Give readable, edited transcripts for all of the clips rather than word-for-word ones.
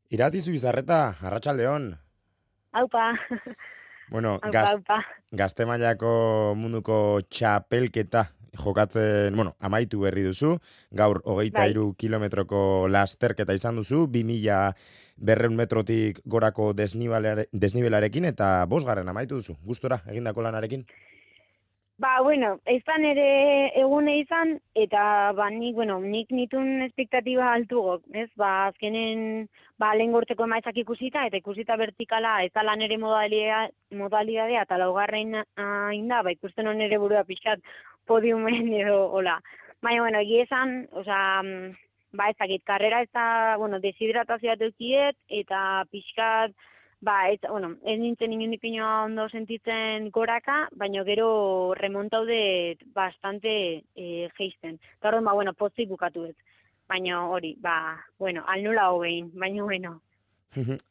Irati Zubizarreta, Arratsaldeon. Aupa, Bueno, aupa, aupa. gazte mailako munduko txapelketa jokatzen, amaitu berri duzu. Gaur hogeita Bai. hiru kilometroko lasterketa izan duzu, 2100 metrotik gorako desnibelarekin eta bosgarren amaitu duzu. Gustora egindako lanarekin? Bueno, izan ere egune izan, eta nik nitun espektatiba altugo, ez? Azkenen, lehen gorteko emaitzak ikusita, eta ikusita vertikala, ez da lan ere modalidadea, eta laugarren inda, ikusten hon ere burua pixat podiumen edo, hola. Baina, egia esan, ez dakit, karrera ez da, deshidratazioa dukiet, eta pixkat, ez nintzen inundik inoa ondo sentitzen goraka, baina gero remontaude bastante geisten. Eta horren, pozik bukatu ez. Baina hori, al nula hogein, baina bueno.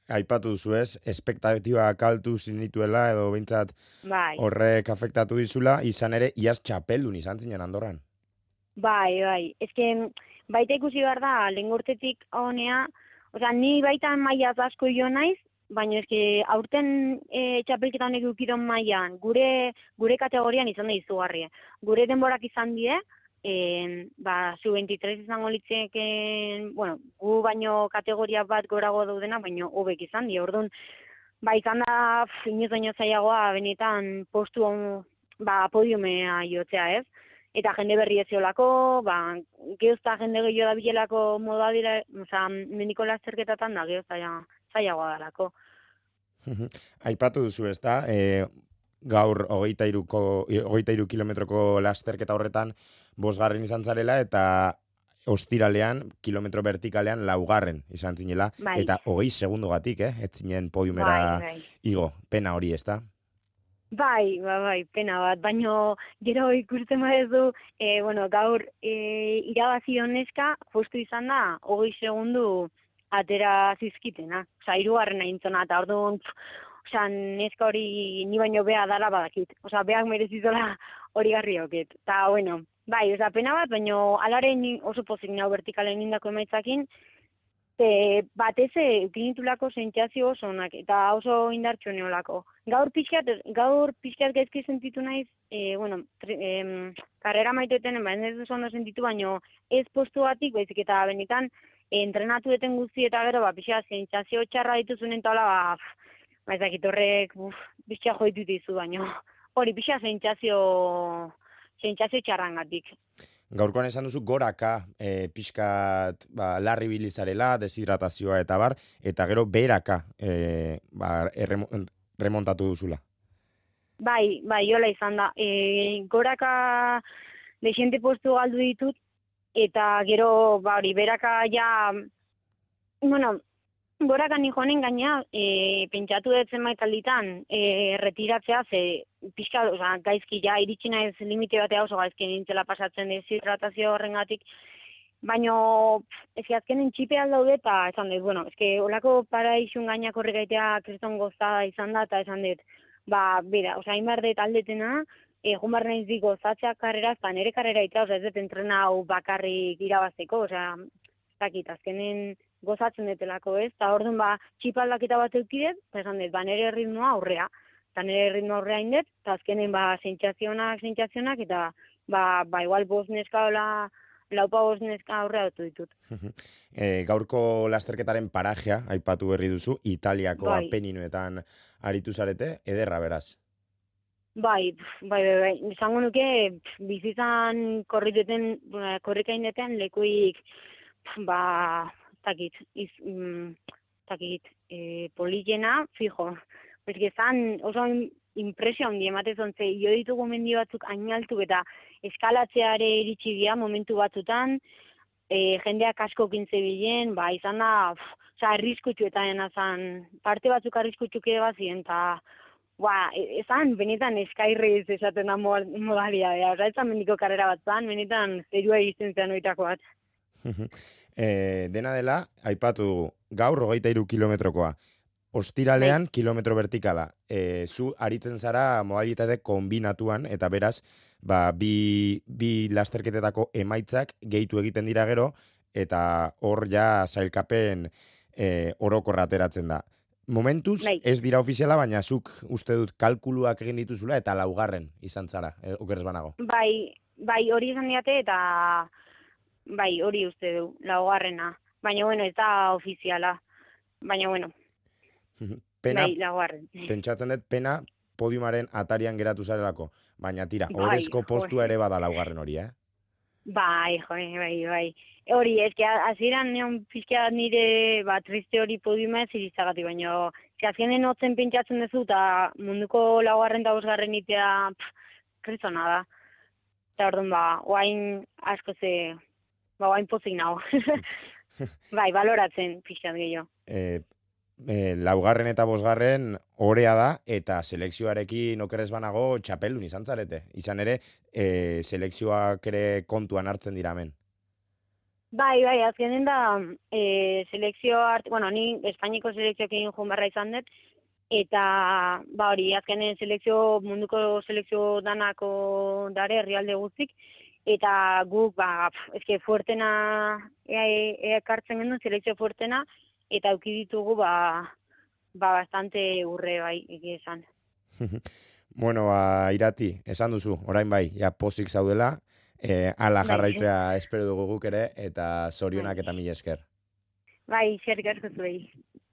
Aipatu duzu ez, espektatiba kaltu zinituela edo behintzat Bai, horrek afektatu dizula, izan ere, iaz txapeldun izan zinen Andorran. bai. Baita ikusi behar da, lehen gortetik honea, ni baita mailaz asko jo naiz, baina aurten txapelketa honek ukidon mailan, gure kategorian izan da izugarria. Gure denborak izan die, sub-23 izango litzeken, gu baino kategoria bat gorago daudena, baino hobek izan die. Orduan, izan da inoz baino zailagoa benetan postu podiumea jotzea, ez? Eta jende berri ez ziolako, geozta jende gehiago da bilelako modadira, mendiko lasterketatan da geozta zailagoa dalako. Aipatu duzu ez da, gaur hogeita hiru kilometroko lasterketa horretan bosgarren izan zarela eta ostiralean, kilometro vertikalean laugarren izan zinela, Bai, eta 20 segundogatik, ez zinen podiumera bai. igo, pena hori ez da? Bai, pena bat, baino gero ikusten badezu, gaur irabazi honeska, justu izan da, 20 segundu atera zizkitena. Hirugarrena intzona, eta orduan, neska hori ni baino beha dala badakit. Beak merezizola hori garri hoket. Eta, pena bat, baino alaren oso pozik nau vertikalen indako emaitzakin, batez ukinitulako sentsazio oso onak, eta oso indartxo neolako. Gaur pixkat gaizki sentitu naiz, karrera maiteten, ez duz ondo sentitu, baino ez postu batik, baizik eta benetan, entrenatu deten guzti eta gero, pixkat sentsazio txarra dituzunen taula, ezakit horrek, pixkat joitu dizu, baino hori pixkat sentsazio txarrangatik. Gaurkoan esan duzu goraka pixkat larri bilizarela, deshidratazioa eta bar, eta gero beraka remontatu duzula. Bai, hola izan da. Goraka desiente postu galdu ditut, eta gero, beraka ja, goraka ni joanen gaina, pentsatu dut zenbait alditan, retiratzea, ze pixka, gaizki ja, iritsi naiz limite batea oso gaizki nintzela pasatzen deshidratazio horrengatik, baino, azkenen txipe aldaude, eta esan dut, olako paraixun gainak horregaitea kriston gozada izan da, eta esan dut, hainbar dut aldetena, egun bar naiz dik gozatzea karrera, eta nire karrera ita, ez dut entrena hau bakarrik irabazteko, azkenen gozatzen detelako, ez? Eta orduan, txipa aldaketa bat eukidet, eta esan dut, nire ritmoa aurrea. Eta nire ritmoa aurrea indet, eta azkenen, sentsazionak, eta, igual bost neska laupa bost neska aurrea dut ditut. Gaurko lasterketaren parajea, aipatu berri duzu, Italiako Bai. Apeninoetan aritu zarete, ederra beraz. Bai. Izango nuke, bizizan korrikaindetan lekuik, politena, fijo. Zan oso impresio handi ematezon, ze jo ditugu mendi batzuk ainaltuk eta eskalatzeare iritsi dira momentu batzutan, jendeak asko kintze bilen, izan da, arriskutsuetan azan, parte batzuk arriskutsuke bazien, eta ezan, benetan eskairriz esaten da modalidadea. Ezan mendiko karrera bat zan, benetan zerua egiten zean oitako bat. Dena dela, aipatu dugu, gaur 23 kilometrokoa. Ostiralean kilometro vertikala. Zu aritzen zara modalitate kombinatuan, eta beraz, bi lasterketetako emaitzak gehitu egiten dira gero, eta hor ja sailkapen orokorra ateratzen da. Momentuz, Bai. ez dira ofiziala, baina zuk uste dut kalkuluak egin dituzula eta laugarren izan zara, okerez banago. Bai, hori izan diate eta bai, hori uste du, laugarrena. Baina, bueno, ez da ofiziala. Baina, bueno, Pena, bai, laugarren. pentsatzen dut, pena podiumaren atarian geratu zarelako. Baina tira, Bai, orezko postua joe. ere bada laugarren hori, Bai, bai. Hori, ez que hasieran neon pixka nire triste hori podiuma ez irizagatik, baina azkenen hotzen pentsatzen duzu eta munduko laugarren eta bosgarren itea krizona da. Eta orduan oain asko oain pozik nago. Bai, baloratzen pixkat gehiago. Laugarren eta bosgarren orea da, eta selekzioarekin okerrez banago txapeldun izan zarete. Izan ere, selekzioak ere kontuan hartzen dira hemen. Bai, azkenen da selekzio ni Espainiko selekzioekin joan barra izan dut, eta hori, azkenen munduko selekzio danako dare herrialde guztik, eta guk, eske fuertena ekartzen genuen, selekzio fuertena, eta auki ditugu, bastante urre, bai, egia esan. Bueno, Irati, esan duzu, orain bai, ja pozik zaudela, ala jarraitzea espero dugu guk ere, eta zorionak eta mila esker. Bai, eskerrik asko zuei.